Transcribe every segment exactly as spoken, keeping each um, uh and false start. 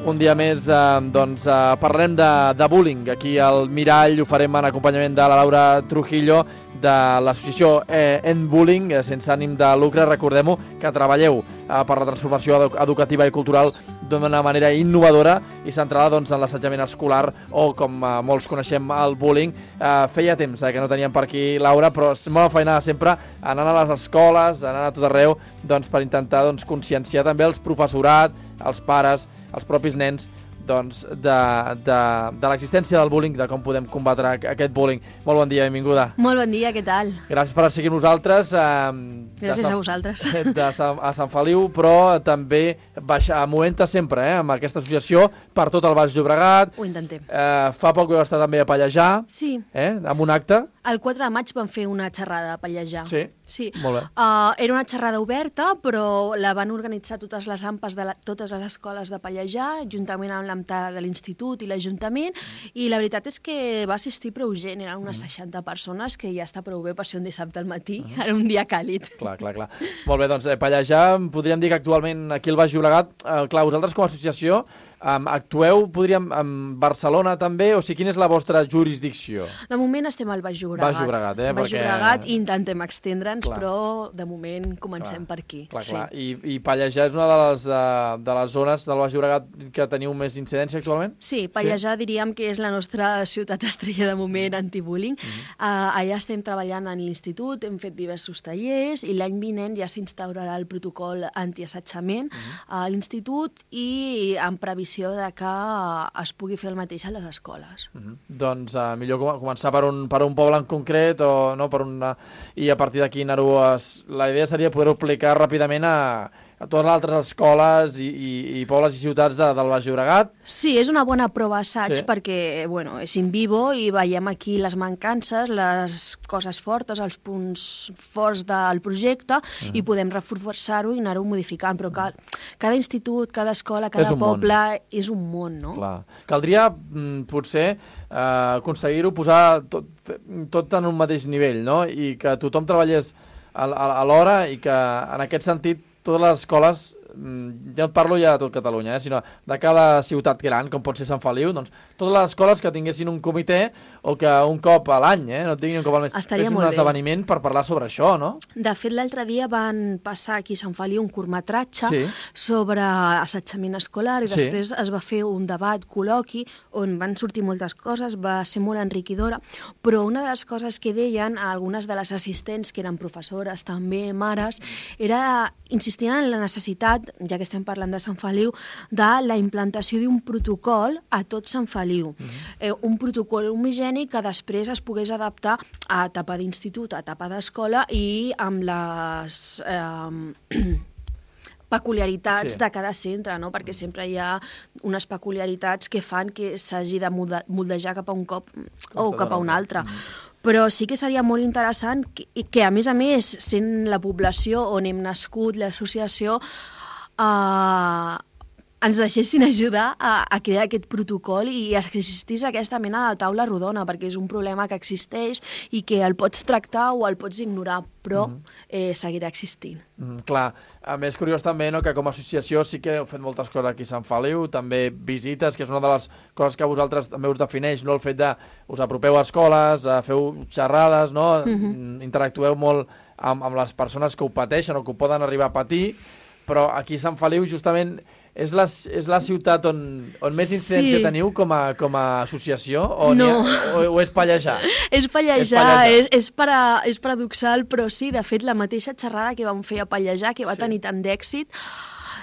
Un dia més eh, doncs, eh, parlarem de, de bullying. Aquí al Mirall ho farem en acompanyament de la Laura Trujillo, de l'associació eh, End Bullying, eh, sense ànim de lucre. Recordem-ho, que treballeu eh, per la transformació edu educativa i cultural d'una manera innovadora i centrada doncs, en l'assetjament escolar o, com eh, molts coneixem, el bullying. Eh, feia temps eh, que no teníem per aquí Laura, però és molt feinada sempre anant a les escoles, anant a tot arreu, doncs, per intentar doncs, conscienciar també els professorat, els pares, els propis nens, doncs, de, de, de l'existència del bullying, de com podem combatre aquest bullying. Molt bon dia, benvinguda. Molt bon dia, què tal? Gràcies per seguir nosaltres. Eh, Gràcies Sant, a vosaltres. De Sant, a Sant Feliu, però també baixa, movent-te sempre eh, amb aquesta associació per tot el Baix Llobregat. Ho intentem. Eh, fa poc vau estar també a Pallejà, Sí. eh, amb un acte. El quatre de maig vam fer una xerrada a Pallejà. Sí, Sí. molt bé. Uh, era una xerrada oberta, però la van organitzar totes les AMPAs de la, totes les escoles de Pallejà, juntament amb l'AMTA de l'Institut i l'Ajuntament, i la veritat és que va assistir prou gent, eren unes seixanta persones, que ja està prou bé per ser un dissabte al matí, uh -huh. Era un dia càlid. Clar, clar, clar. Molt bé, doncs eh, Pallejà, podríem dir que actualment aquí al Baix Llobregat, eh, clar, vosaltres com a associació, Um, actueu, podríem, en Barcelona també, o sigui, quina és la vostra jurisdicció? De moment estem al Baix Llobregat. Baix Llobregat, eh? Baix perquè... Llobregat, i intentem extendre'ns, clar. Però de moment comencem clar. per aquí. Clar, sí. clar. I, I Pallejà és una de les, uh, de les zones del Baix Llobregat que teniu més incidència actualment? Sí, Pallejà sí? diríem que és la nostra ciutat estrella de moment antibullying. Uh -huh. uh, allà estem treballant en l'institut, hem fet diversos tallers i l'any vinent ja s'instaurarà el protocol antiassetjament uh -huh. a l'institut i en previsió de que es pugui fer el mateix a les escoles. Uh -huh. Doncs uh, millor com començar per un, per un poble en concret o, no, per una, i a partir d'aquí anar-ho... Es... La idea seria poder-ho aplicar ràpidament a, a totes les altres escoles i, i, i pobles i ciutats de, del Baix Llobregat. Sí, és una bona prova assaig sí. perquè bueno, és in vivo i veiem aquí les mancances, les coses fortes, els punts forts del projecte uh -huh. i podem reforçar-ho i anar-ho modificant, però cal, cada institut, cada escola, cada és poble món. és un món, no? Clar. Caldria, mm, potser, eh, aconseguir-ho posar tot, tot en un mateix nivell, no? I que tothom treballés a, a, a l'hora i que, en aquest sentit, totes les escoles, ja et parlo ja de tot Catalunya, eh, sinó de cada ciutat gran, com pot ser Sant Feliu, doncs totes les escoles que tinguessin un comitè o que un cop a l'any, eh, no tinguin un cop al mes, fessin un esdeveniment per parlar sobre això, no? De fet, l'altre dia van passar aquí a Sant Feliu un curtmetratge sí. sobre assetjament escolar i després sí. es va fer un debat, col·loqui, on van sortir moltes coses, va ser molt enriquidora, però una de les coses que deien algunes de les assistents, que eren professores, també mares, era insistir en la necessitat, ja que estem parlant de Sant Feliu, de la implantació d'un protocol a tot Sant Feliu. Mm-hmm. eh, un protocol homogènic que després es pogués adaptar a etapa d'institut, a etapa d'escola i amb les... Eh, peculiaritats sí. de cada centre, no? Perquè sempre hi ha unes peculiaritats que fan que s'hagi de moldejar cap a un cop o cap a un altre. Mm. Però sí que seria molt interessant que, que, a més a més, sent la població on hem nascut, l'associació, eh, ens deixessin ajudar a, a crear aquest protocol i existís aquesta mena de taula rodona, perquè és un problema que existeix i que el pots tractar o el pots ignorar, però mm. eh, seguirà existint. Mm, clar, a més curiós també, no, que com a associació sí que heu fet moltes coses aquí a Sant Feliu, també visites, que és una de les coses que a vosaltres també us defineix, no? El fet de us apropeu a escoles, a feu xerrades, no? Mm-hmm. Interactueu molt amb, amb les persones que ho pateixen o que ho poden arribar a patir, però aquí a Sant Feliu justament és la, és la ciutat on, on més incidència sí. teniu com a, com a associació o, no. ha, o, o és Pallejà? És Pallejà, és, Pallejà. és, és, para, és paradoxal, però sí, de fet, la mateixa xerrada que vam fer a Pallejà, que va sí. tenir tant d'èxit,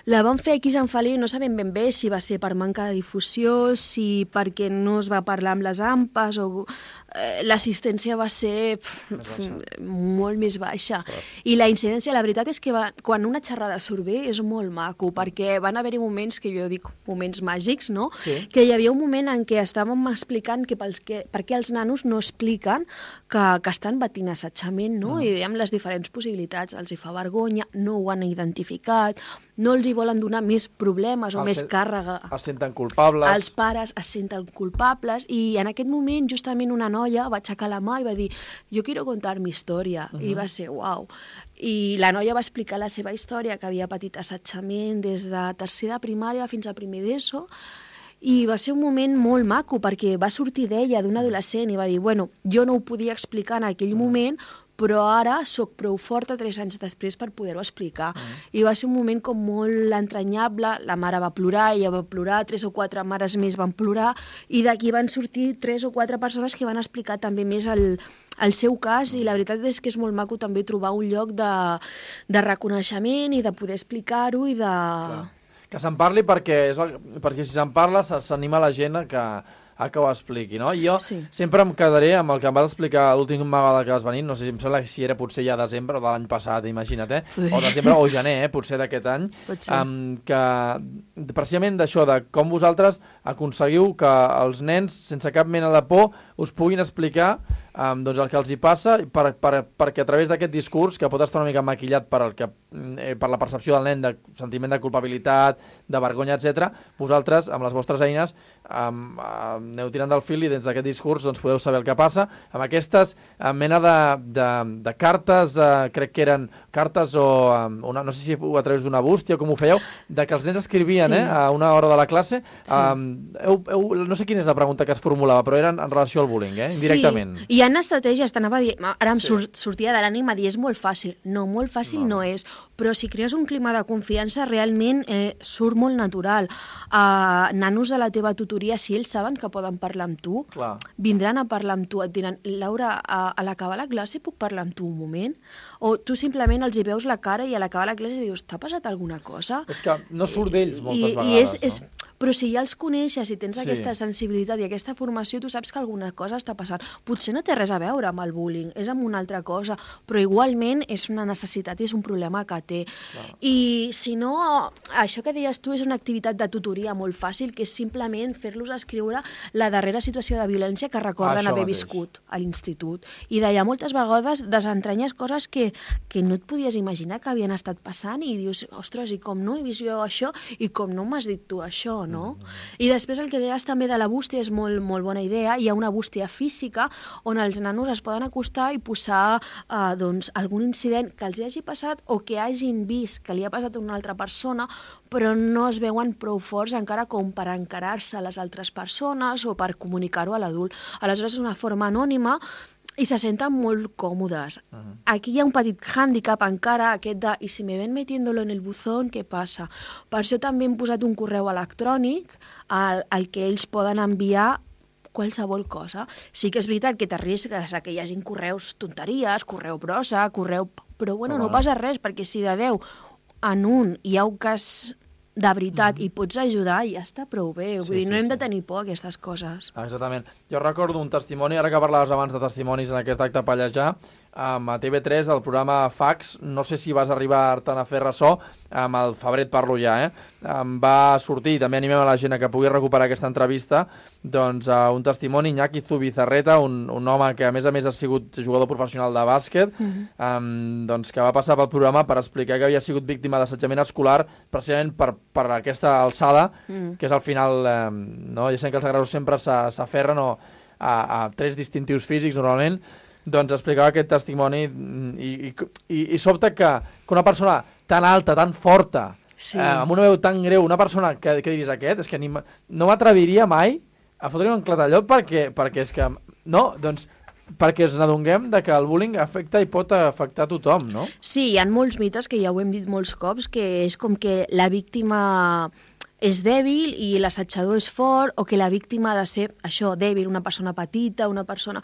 la vam fer aquí a Sant Feliu, no sabem ben bé si va ser per manca de difusió, si perquè no es va parlar amb les AMPAs o eh, l'assistència va ser pf, pf, molt més baixa. Ostres. I la incidència, la veritat és que va, quan una xerrada surt bé és molt maco, perquè van haver-hi moments que jo dic moments màgics, no? Sí. Que hi havia un moment en què estàvem explicant que, pels que per què els nanos no expliquen que, que estan patint assetjament, no? Mm. I dèiem les diferents possibilitats, els hi fa vergonya, no ho han identificat, no els hi volen donar més problemes o el més sen, càrrega. Els senten culpables. Els pares es senten culpables i en aquest moment justament una noia noia va aixecar la mà i va dir jo quiero contar mi història, uh -huh. i va ser uau. I la noia va explicar la seva història, que havia patit assetjament des de tercer de primària fins a primer d'ESO, i va ser un moment molt maco, perquè va sortir d'ella, d'un adolescent, i va dir, bueno, jo no ho podia explicar en aquell moment, però ara sóc prou forta tres anys després per poder-ho explicar. Mm. I va ser un moment com molt entranyable, la mare va plorar, ella va plorar, tres o quatre mares més van plorar, i d'aquí van sortir tres o quatre persones que van explicar també més el, el seu cas, i la veritat és que és molt maco també trobar un lloc de, de reconeixement i de poder explicar-ho i de... Clar. Que se'n parli perquè, és el, perquè si se'n parla s'anima la gent a que... a que ho expliqui, no? I jo sí. sempre em quedaré amb el que em vas explicar l'últim vegada que vas venir, no sé si em sembla si era potser ja desembre o de l'any passat, imagina't, eh? O desembre o gener, eh? Potser d'aquest any, um, que precisament d'això, de com vosaltres aconseguiu que els nens, sense cap mena de por, us puguin explicar um, doncs el que els hi passa, per, per, perquè a través d'aquest discurs, que pot estar una mica maquillat per, el que, eh, per la percepció del nen de sentiment de culpabilitat, de vergonya, etcètera, vosaltres, amb les vostres eines, um, um, aneu tirant del fil i dins d'aquest discurs doncs, podeu saber el que passa. Amb aquestes uh, mena de, de, de cartes, uh, crec que eren cartes o, um, una, no sé si a través d'una bústia o com ho fèieu, de que els nens escrivien sí. eh, a una hora de la classe. Sí. Um, heu, heu, no sé quina és la pregunta que es formulava, però eren en relació al bullying, eh, indirectament. Sí, hi ha estratègies, t'anava a dir, ara em sí. surt, sortia de l'ànima a dir, és molt fàcil. No, molt fàcil no, no és, però si crees un clima de confiança, realment eh, surt molt natural. Uh, nanos de la teva tutoria, si ells saben que poden parlar amb tu, clar. Vindran a parlar amb tu, et diran, Laura, a, a l'acabar la classe puc parlar amb tu un moment? O tu simplement els hi veus la cara i a l'acabar la classe dius, t'ha passat alguna cosa? És que no surt d'ells moltes I, vegades, i és, no? És, però si ja els coneixes i tens sí. aquesta sensibilitat i aquesta formació, tu saps que alguna cosa està passant. Potser no té res a veure amb el bullying, és amb una altra cosa, però igualment és una necessitat i és un problema que té. Clar. I si no, això que deies tu és una activitat de tutoria molt fàcil, que és simplement fer-los escriure la darrera situació de violència que recorden haver mateix. viscut a l'institut. I d'allà moltes vegades desentranyes coses que, que no et podies imaginar que havien estat passant i dius, ostres, i com no he vist jo això i com no m'has dit tu això, no? Mm. I després el que deies també de la bústia és molt, molt bona idea. Hi ha una bústia física on els nanos es poden acostar i posar eh, doncs, algun incident que els hi hagi passat o que hagin vist que li ha passat a una altra persona, però no es veuen prou forts encara com per encarar-se a les altres persones o per comunicar-ho a l'adult. Aleshores és una forma anònima i se senten molt còmodes. Uh-huh. Aquí hi ha un petit hàndicap encara, aquest de i si me ven metiéndolo en el buzón, què passa? Per això també hem posat un correu electrònic al, al que ells poden enviar qualsevol cosa. Sí que és veritat que t'arrisques a que hi hagin correus tonteries, correu brossa, correu... Però bueno, no passa res, perquè si de deu en un hi ha un cas de veritat mm-hmm. i pots ajudar, ja està prou bé. Vull sí, dir, no sí, hem sí. de tenir por a aquestes coses. Exactament. Jo recordo un testimoni, ara que parlaves abans de testimonis en aquest acte Pallejà, amb a T V tres, del programa Fax, no sé si vas arribar-te'n a fer ressò, amb el Febrer et parlo ja, eh? Em va sortir, també animem a la gent a que pugui recuperar aquesta entrevista, doncs uh, un testimoni, Iñaki Zubizarreta, un, un home que a més a més ha sigut jugador professional de bàsquet, mm-hmm. um, doncs que va passar pel programa per explicar que havia sigut víctima d'assetjament escolar precisament per, per aquesta alçada, mm. que és al final, um, no? Ja sabem que els agressors sempre s'aferren a, a tres distintius físics normalment, doncs explicava aquest testimoni i, i, i, i sobta que, que una persona tan alta, tan forta, sí. eh, amb una veu tan greu, una persona que, que diries aquest, és que ni, no m'atreviria mai a fotre-hi un clatallot perquè, perquè és que, no, doncs, perquè ens n'adonguem de que el bullying afecta i pot afectar tothom, no? Sí, hi ha molts mites, que ja ho hem dit molts cops, que és com que la víctima és dèbil i l'assetjador és fort, o que la víctima ha de ser, això, dèbil, una persona petita, una persona...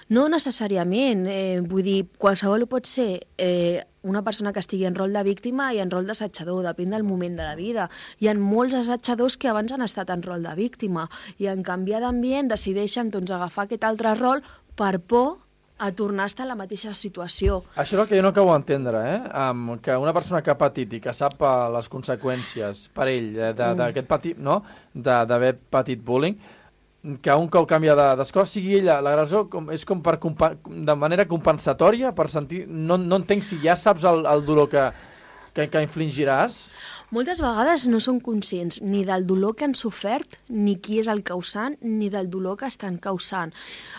No necessàriament, eh, vull dir, qualsevol pot ser eh, una persona que estigui en rol de víctima i en rol d'assetjador, depèn del moment de la vida. Hi ha molts assetjadors que abans han estat en rol de víctima i en canviar d'ambient decideixen doncs, agafar aquest altre rol per por a tornar a estar en la mateixa situació. Això és el que jo no acabo d'entendre, eh? Um, que una persona que ha patit i que sap uh, les conseqüències per ell d'aquest mm. patit, no? D'haver patit bullying, que un cop canvia d'escola sigui ella l'agressor, és com per de manera compensatòria, per sentir... No, no entenc si ja saps el, el dolor que, que, que infligiràs. Moltes vegades no són conscients ni del dolor que han sofert, ni qui és el causant, ni del dolor que estan causant.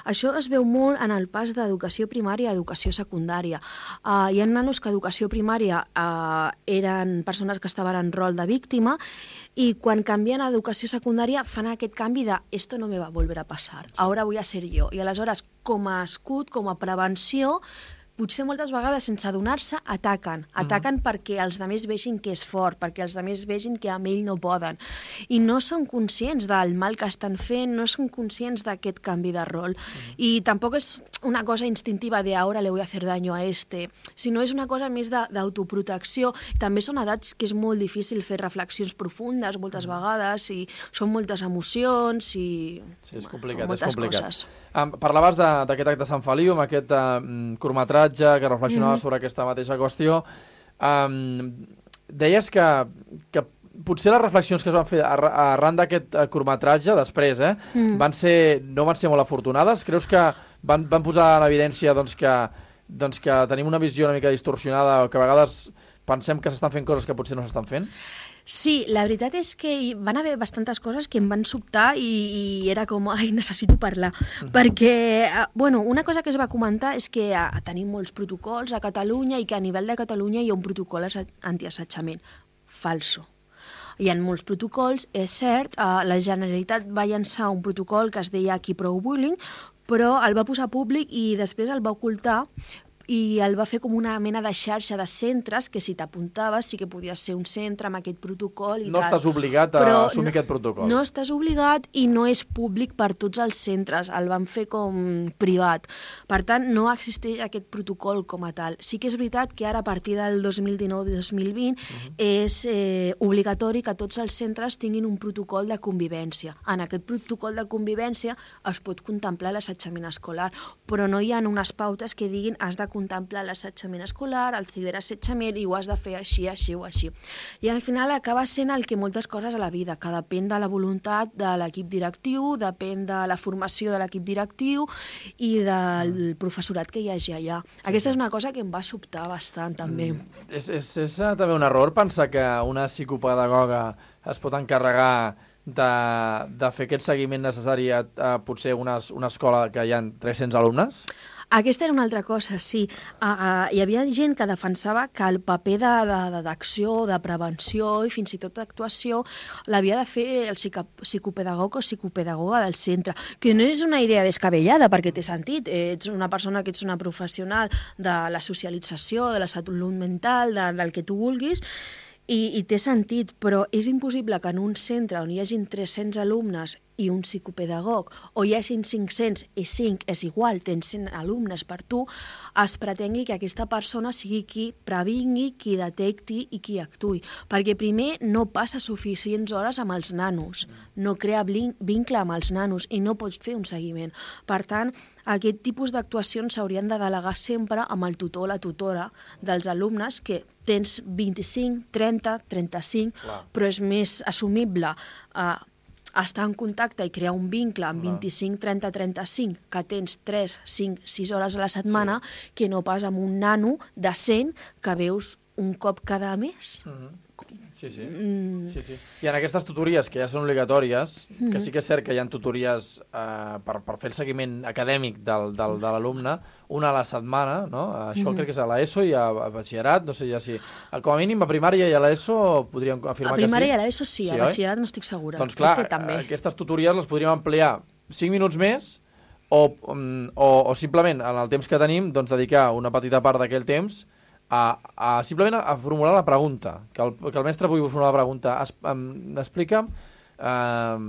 Això es veu molt en el pas d'educació primària a educació secundària. Uh, hi ha nanos que a educació primària uh, eren persones que estaven en rol de víctima i quan canvien a educació secundària fan aquest canvi de «esto no me va a volver a pasar, ahora voy a ser yo». I aleshores, com a escut, com a prevenció, potser moltes vegades, sense adonar-se, ataquen. Ataquen mm-hmm. perquè els altres vegin que és fort, perquè els altres vegin que amb ell no poden. I no són conscients del mal que estan fent, no són conscients d'aquest canvi de rol. Mm-hmm. I tampoc és una cosa instintiva de «ahora le voy a hacer daño a este», sinó és una cosa més d'autoprotecció. També són edats que és molt difícil fer reflexions profundes moltes mm-hmm. vegades i són moltes emocions i sí, és complicat, moltes és complicat. coses. Um, parlaves d'aquest acte de Sant Feliu, amb aquest uh, curtmetratge que reflexionava mm-hmm. sobre aquesta mateixa qüestió. Um, deies que, que potser les reflexions que es van fer arran d'aquest curtmetratge, després, eh, mm. van ser, no van ser molt afortunades? Creus que van, van posar en evidència doncs, que, doncs, que tenim una visió una mica distorsionada o que a vegades pensem que s'estan fent coses que potser no s'estan fent? Sí, la veritat és que van haver bastantes coses que em van sobtar i, i era com, ai, necessito parlar. Uh-huh. Perquè, bueno, una cosa que es va comentar és que a, tenim molts protocols a Catalunya i que a nivell de Catalunya hi ha un protocol antiassetjament. Falso. Hi ha molts protocols, és cert, eh, la Generalitat va llançar un protocol que es deia Keep Pro Bullying, però el va posar públic i després el va ocultar i el va fer com una mena de xarxa de centres que si t'apuntaves sí que podies ser un centre amb aquest protocol i no tal. No estàs obligat a Però assumir no, aquest protocol. No estàs obligat i no és públic per tots els centres, el van fer com privat. Per tant, no existeix aquest protocol com a tal. Sí que és veritat que ara a partir del dos mil dinou dos mil vint uh-huh. és eh, obligatori que tots els centres tinguin un protocol de convivència. En aquest protocol de convivència es pot contemplar l'assetjament escolar, però no hi ha unes pautes que diguin has de contemplar l'assetjament escolar, el ciberassetjament, i ho has de fer així, així o així. I al final acaba sent el que moltes coses a la vida, que depèn de la voluntat de l'equip directiu, depèn de la formació de l'equip directiu i del professorat que hi hagi allà. Sí, Aquesta sí. és una cosa que em va sobtar bastant, també. Mm, és, és, és també un error pensar que una psicopedagoga es pot encarregar de, de fer aquest seguiment necessari a, a potser unes, una escola que hi ha tres-cents alumnes? Aquesta era una altra cosa, sí. Uh, uh, hi havia gent que defensava que el paper d'acció, de, de, de prevenció i fins i tot d'actuació l'havia de fer el psicopedagog o psicopedagoga del centre, que no és una idea descabellada, perquè té sentit. Ets una persona que ets una professional de la socialització, de la salut mental, de, del que tu vulguis, i, i té sentit, però és impossible que en un centre on hi hagin tres-cents alumnes i un psicopedagog, o hi hagin cinc-cents i cinc és igual, tens cent alumnes per tu, es pretengui que aquesta persona sigui qui previngui, qui detecti i qui actuï. Perquè primer no passa suficients hores amb els nanos, no crea vincle amb els nanos i no pots fer un seguiment. Per tant, aquest tipus d'actuacions s'haurien de delegar sempre amb el tutor o la tutora dels alumnes, que tens vint-i-cinc, trenta, trenta-cinc, Clar. Però és més assumible eh, estar en contacte i crear un vincle amb vint-i-cinc, trenta, trenta-cinc, que tens tres, cinc, sis hores a la setmana, sí. que no pas amb un nano de cent que veus un cop cada mes. Mm-hmm. Sí, sí. Mm. sí, sí. I en aquestes tutories, que ja són obligatòries, mm-hmm. que sí que és cert que hi ha tutories eh, per, per fer el seguiment acadèmic del, del, de l'alumne, una a la setmana, no? Això mm-hmm. crec que és a l'ESO i a, a batxillerat, no sé ja si... Com a mínim a primària i a l'ESO podríem afirmar que sí. A primària i a l'ESO sí, sí, a batxillerat no estic segura. Doncs clar, aquestes tutories les podríem ampliar cinc minuts més o, o, o simplement en el temps que tenim doncs, dedicar una petita part d'aquell temps A, a simplement a, a formular la pregunta, que el, que el mestre pugui formular la pregunta. Es, um, explica'm um,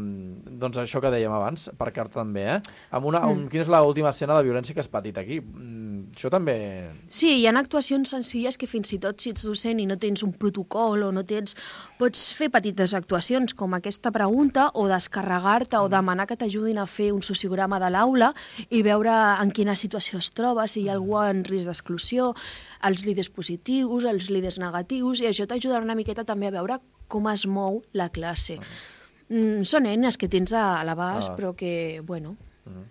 doncs això que dèiem abans, per carta també, eh? Amb una, mm. um, quina és l'última escena de violència que has patit aquí? Mm, això també... Sí, hi ha actuacions senzilles que fins i tot si ets docent i no tens un protocol o no tens... Pots fer petites actuacions com aquesta pregunta o descarregar-te o demanar que t'ajudin a fer un sociograma de l'aula i veure en quina situació es troba, si hi ha algú en risc d'exclusió, els líders positius, els líders negatius, i això t'ajudarà una miqueta també a veure com es mou la classe. Mm, són eines que tens a l'abast, ah. però que, bueno... Mm.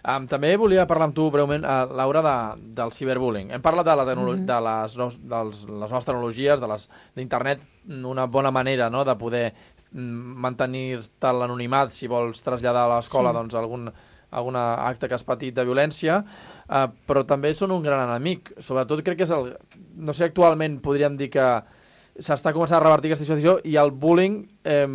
Um, també volia parlar amb tu breument, uh, Laura, de, del ciberbullying. Hem parlat de, la tecnolo- mm-hmm. de les, no, dels, les noves tecnologies, de les d'internet, una bona manera, no?, de poder mantenir-te l'anonimat si vols traslladar a l'escola sí. doncs, algun, algun acte que has patit de violència, uh, però també són un gran enemic. Sobretot crec que és el... No sé, actualment podríem dir que s'està començant a revertir aquesta situació i el bullying eh,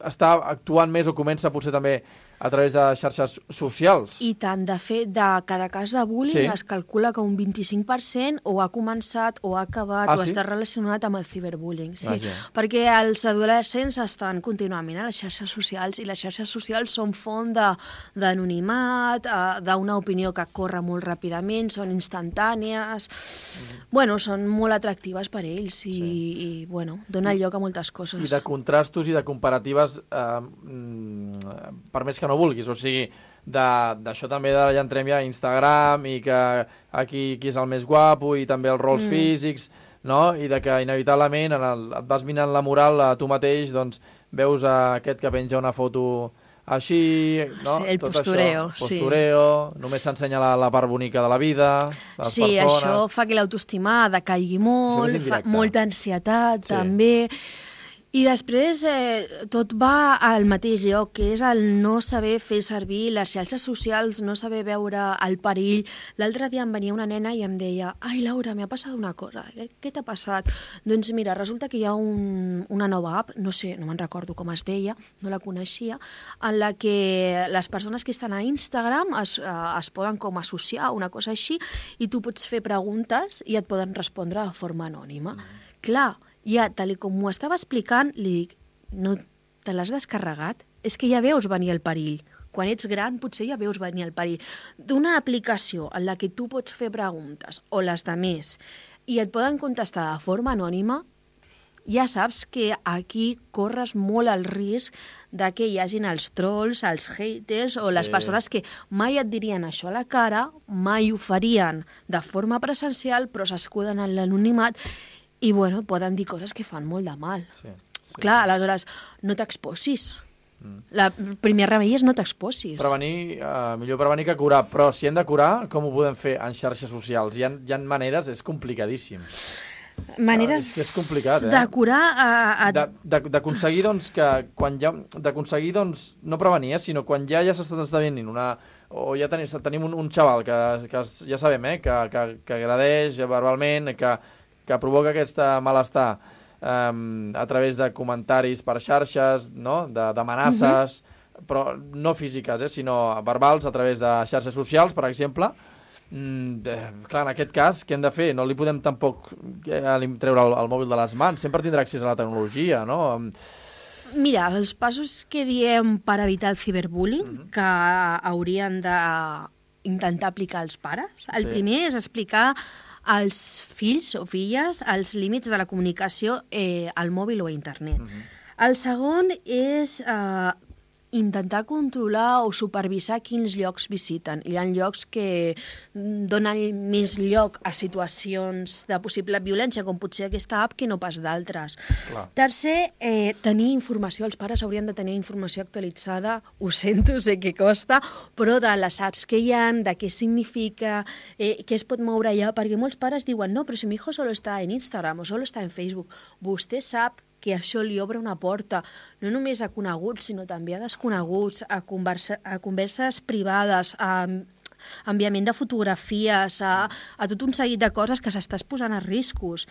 està actuant més o comença potser també a través de xarxes socials. I tant, de fet, de cada cas de bullying sí. es calcula que un vint-i-cinc per cent o ha començat o ha acabat ah, o sí? està relacionat amb el ciberbullying. Sí, ah, perquè els adolescents estan contínuament a les xarxes socials i les xarxes socials són font d'anonimat, d'una opinió que corre molt ràpidament, són instantànies, mm-hmm. bueno, són molt atractives per ells i, sí. i bueno, dona lloc a moltes coses. I de contrastos i de comparatives, eh, per més que no vulguis, o sigui, d'això també de ja entrem ja a Instagram i que aquí qui és el més guapo i també els rols mm. físics, no? I de que inevitablement en el, et vas minant la moral a tu mateix, doncs veus aquest que penja una foto així, no? Sí, el tot postureo. Això, postureo, sí. Només s'ensenya la, la part bonica de la vida, de les sí, persones. Sí, això fa que l'autoestima decaigui molt, fa molta ansietat sí. també. I després eh, tot va al mateix lloc, que és el no saber fer servir les xarxes socials, no saber veure el perill. L'altre dia em venia una nena i em deia «Ai, Laura, m'ha passat una cosa. Què, què t'ha passat?» Doncs mira, resulta que hi ha un, una nova app, no sé, no me'n recordo com es deia, no la coneixia, en la que les persones que estan a Instagram es, eh, es poden com associar, una cosa així, i tu pots fer preguntes i et poden respondre de forma anònima. Mm. Clar, ja, tal com m'ho estava explicant, li dic, no te l'has descarregat? És que ja veus venir el perill. Quan ets gran potser ja veus venir el perill. D'una aplicació en la que tu pots fer preguntes, o les de més, i et poden contestar de forma anònima, ja saps que aquí corres molt el risc de que hi hagin els trolls, els haters o sí. les persones que mai et dirien això a la cara, mai ho farien de forma presencial, però s'escuden en l'anonimat i, bueno, poden dir coses que fan molt de mal. Sí, sí, Clar, sí. aleshores, no t'exposis. Mm. La, el primer remei és no t'exposis. Prevenir, uh, millor prevenir que curar, però si hem de curar, com ho podem fer en xarxes socials? Hi ha, hi ha maneres, és complicadíssim. Maneres uh, és, és complicat, eh? de curar... A, a... D'aconseguir, doncs, que quan ja... D'aconseguir, doncs, no prevenir, eh, sinó quan ja ja s'està esdevenint una... O ja tenim, tenim un, un xaval que, que ja sabem, eh, que, que, que agradeix verbalment, que... que provoca aquest malestar um, a través de comentaris per xarxes, no? d'amenaces, uh-huh. però no físiques, eh? sinó verbals a través de xarxes socials, per exemple. Mm, eh, clar, en aquest cas, què hem de fer? No li podem tampoc eh, treure el, el mòbil de les mans, sempre tindrà accés a la tecnologia, no? Mira, els passos que diem per evitar el ciberbullying, uh-huh. que haurien d'intentar aplicar els pares, el sí. primer és explicar als fills o filles els límits de la comunicació eh, al mòbil o a internet. Uh-huh. El segon és eh, intentar controlar o supervisar quins llocs visiten. Hi ha llocs que donen més lloc a situacions de possible violència, com potser aquesta app, que no pas d'altres. Tercer, eh, tenir informació. Els pares haurien de tenir informació actualitzada. Ho sento, sé que costa, però de les apps que hi ha, de què significa, eh, què es pot moure allà, perquè molts pares diuen no, però si mi hijo solo està en Instagram o solo està en Facebook. Vostè sap que això li obre una porta, no només a coneguts, sinó també a desconeguts, a, conversa, a converses privades, a enviament de fotografies, a, a tot un seguit de coses que s'estàs posant a riscos.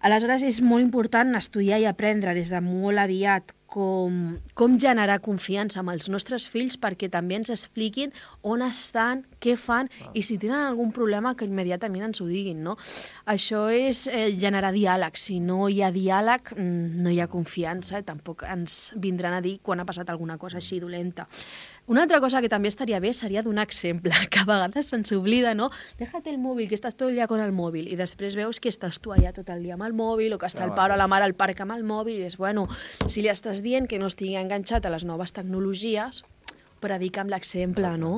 Aleshores, és molt important estudiar i aprendre des de molt aviat com, com generar confiança amb els nostres fills perquè també ens expliquin on estan, què fan i si tenen algun problema que immediatament ens ho diguin, no? Això és eh, generar diàleg. Si no hi ha diàleg, no hi ha confiança, tampoc ens vindran a dir quan ha passat alguna cosa així dolenta. Una altra cosa que també estaria bé seria donar exemple, que a vegades se'ns oblida, no? Déjate el mòbil, que estàs tot el dia con el mòbil, i després veus que estàs tu allà tot el dia amb el mòbil, o que està el pare o la mare al parc amb el mòbil, i és, bueno, si li estàs dient que no estigui enganxat a les noves tecnologies, predica amb l'exemple, no?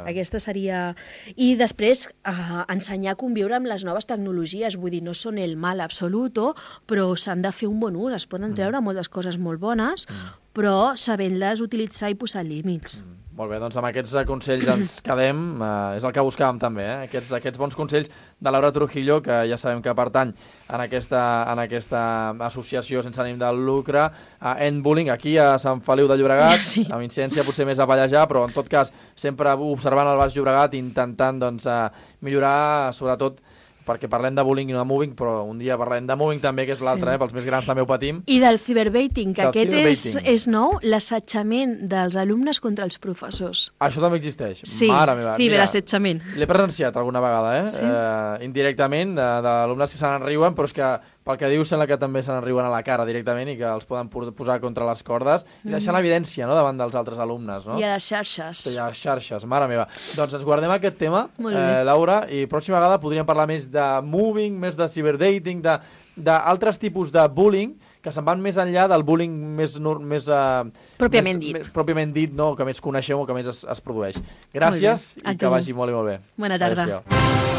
Aquesta seria... I després, eh, ensenyar a conviure amb les noves tecnologies, vull dir, no són el mal absolut, però s'han de fer un bon ús, es poden treure moltes coses molt bones, però sabent-les utilitzar i posar límits. Molt bé, doncs amb aquests consells ens quedem, eh, és el que buscàvem també, eh? aquests, aquests bons consells de Laura Trujillo, que ja sabem que pertany en aquesta, en aquesta associació sense ànim de lucre, a Endbullying, aquí a Sant Feliu de Llobregat, sí. Amb incidència potser més a Pallejà, però en tot cas sempre observant el Baix Llobregat, intentant doncs, millorar sobretot perquè parlem de bullying i no de moving, però un dia parlem de moving també, que és l'altre, sí. eh? Pels més grans també ho patim. I del cyberbaiting, que del aquest cyberbaiting. És, és nou, l'assetjament dels alumnes contra els professors. Això també existeix? Sí, Mare meva. ciberassetjament. L'he presenciat alguna vegada, eh? Sí. eh indirectament, d'alumnes que se n'enriuen, però és que pel que dius sembla que també se n'enriuen a la cara directament i que els poden posar contra les cordes i deixar l'evidència, no?, davant dels altres alumnes. No? I a les xarxes. I a les xarxes, mare meva. Doncs ens guardem aquest tema, eh, Laura, i pròxima vegada podríem parlar més de moving, més de ciberdating, d'altres tipus de bullying que se'n van més enllà del bullying més... més uh, pròpiament més, dit. Més, pròpiament dit, no?, que més coneixem o que més es, es produeix. Gràcies i que vagi molt i molt bé. Bona tarda. Adéu-siau.